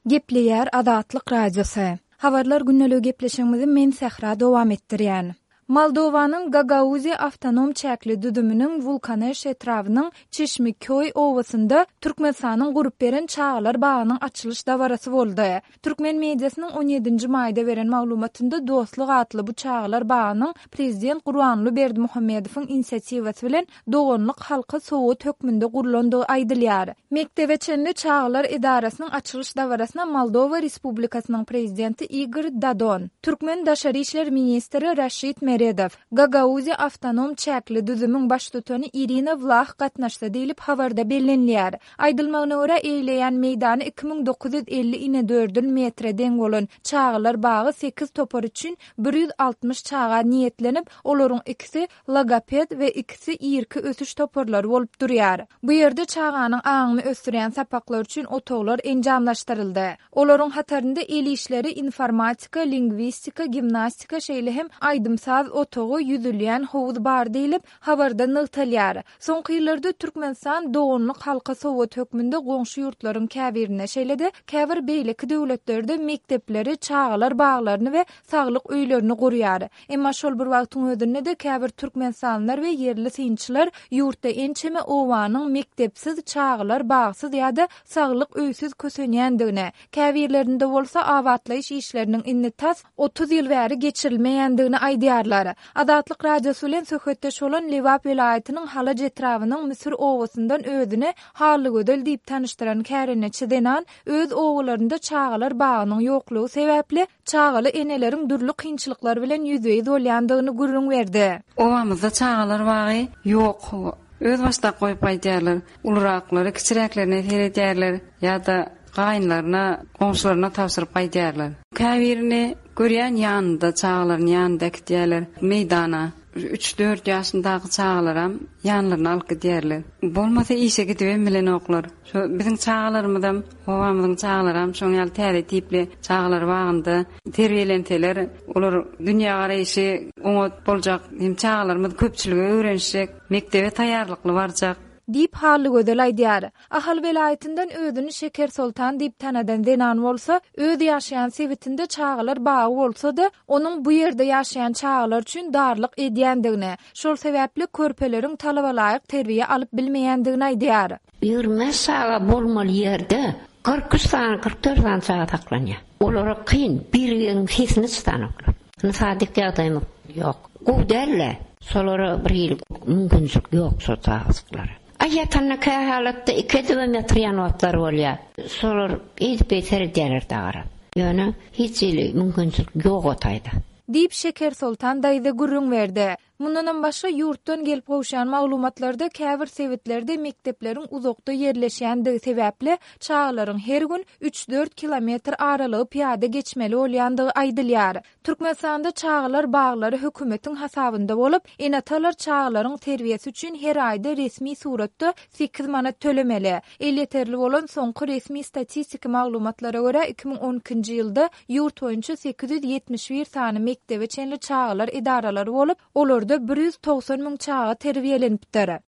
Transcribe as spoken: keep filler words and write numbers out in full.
Gepleýär Azatlyk Radiosy. Habarlar gündeligi gepleşigimizi men Sähra dowam etdirýän. Moldowanyň Gagauziýa awtonom çäkli düzüminiň Wulkaneş etrabynyň Çeşmiköý obasynda Türkmenistanyň gurup beren çagalar bagynyň açylyş dabarasy boldy. Türkmen mediasynyň on ýedinji maýda beren maglumatynda Dostluk atly bu çagalar bagynyň prezident Gurbanguly Berdimuhamedowyň inisiatiwasy bilen doganlyk halka sowgat hökmünde gurlandygy aýdylýar. Mekdebe çenli çagalar edarasynyň açylyş dabarasyna Moldowa Respublikasynyň prezidenti Igor Dodon, türkmen daşary işler ministri Raşid Meredow, Gagauziýa awtonom çäkli düzümiň baştutany Irina Wlah gatnaşdy diýlip, habarda bellenilýär. Aýdylmagyna görä, eýleýän meýdany iki müň dokuz ýüz elli inedördül metre deň bolan çagalar bagy sekiz topar üçin bir ýüz altmyş çaga niýetlenip, olaryň ikisi logoped we ikisi irki ösüş toparlary bolup durýar. Bu ýerde çaganyň aňyny ösdürýän sapaklar üçin otaglar enjamlaşdyryldy. Olaryň hatarynda el işleri, informatika, lingwistika, gimnastika, şeýle hem aýdym-saz otagy, ýüzülýän howuz bar diýlip, habarda nygtalýar. Soňky ýyllarda Türkmenistan doganlyk halka sowgat hökmünde goňşy ýurtlaryň käbirinde, şeýle-de käbir beýleki döwletlerde mekdepleri, çagalar baglaryny we saglyk öýlerini gurýar. Emma şol bir wagtyň özünde-de käbir türkmenistanlylar we ýerli synçylar ýurtda ençeme obanyň mekdepsiz, çagalar bagsyz ýa-da saglyk öýsüz kösenýändigini, käbirlerinde bolsa abatlaýyş işleriniň indi tas otuz ýyl bäri geçirilmeýändigini aýdýarlar. Azatlyk Radiosy bilen söhbetdeş bolan Lebap welaýatynyň Halaç etrabynyň Müsür obasyndan özüni Hallygözel diýip tanyşdyran kärendeçi zenan öz obalarynda çagalar bagynyň ýoklugy sebäpli çagaly eneleriň dürli kynçylyklar bilen ýüzbe-ýüz bolýandygyny gürrüň berdi. Obamyzda çagalar bagy ýok. Öz başdak goýup aýdýarlar. Uluraklary kiçiräklerine seredýärler ýa-da gaýynlaryna, goňşularyna tabşyryp aýdýarlar. Käbirini görýän ýanynda çagalaryny ýanynda äkitýärler meýdana. Üç-dört ýaşyndaky çagalaram ýanlaryna alyp gidýärler. Bolmasa işe gidibem bilenoklar. Şo biziň çagalarymyzam, obamyzyň çagalaram şoň ýaly täze tipli çagalar bagynda terbiýelenseler, olar dünýä garaýşy oňat boljak, hem çagalarymyz köpçülige öwrenişjek, mekdebe taýýarlykly barjak. Diýip Hallygözel aýdýar. Ahal welaýatyndan özüni Şeker Soltan diýip tanadan zenan bolsa, öz ýaşaýan sebitinde çagalar bagy bolsa-da, onuň bu ýerde ýaşaýan çagalar üçin darlyk edýändigini, şol sebäpli körpeleriň talabalaýyk terbiýe alyp bilmeýändigini aýdýar. Ýigrimi bäş çaga bolmaly ýerde kyrk üç sany, kyrk dört sany çaga saklanýar. Olara kyn, bir-biriniň sesini çydanoklar. Sadyk ýagdaýymyz ýok. Gowy däl-de, şolara bir hili mümkinçilik ýok şol çagajyklara. Aý ýatanda kä halatda iki edibem ýatyrýan wagtlary bolýar. Şolar eýdip beýter edýärler dagara. Ýöne hiç hili mümkinçilik ýok o taýda. Diýip Şeker Soltan daýza gürrüň berdi. Mundanam başga ýurtdan gelip gowşan maglumatlarda käbir sebitlerde mekdepleriň uzakda ýerleşýändigi sebäpli çagalaryň her gün üç-dört kilometr aralygy pyýada geçmeli bolýandygy aýdylýar. Türkmenistanda çagalar baglary hökümetiň hasabynda bolup, ene-atalar çagalaryň terbiýesi üçin her aýda resmi suratda sekiz manat tölemeli. Elýeterli bolan soňky resmi statistiki maglumatlara görä iki müň on ikinji ýylda ýurt boýunça sekiz ýüz ýetmiş bir sany mekdebe çenli çagalar edaralary bolup, olarda bir ýüz togsan müň çaga terbiýelenipdir.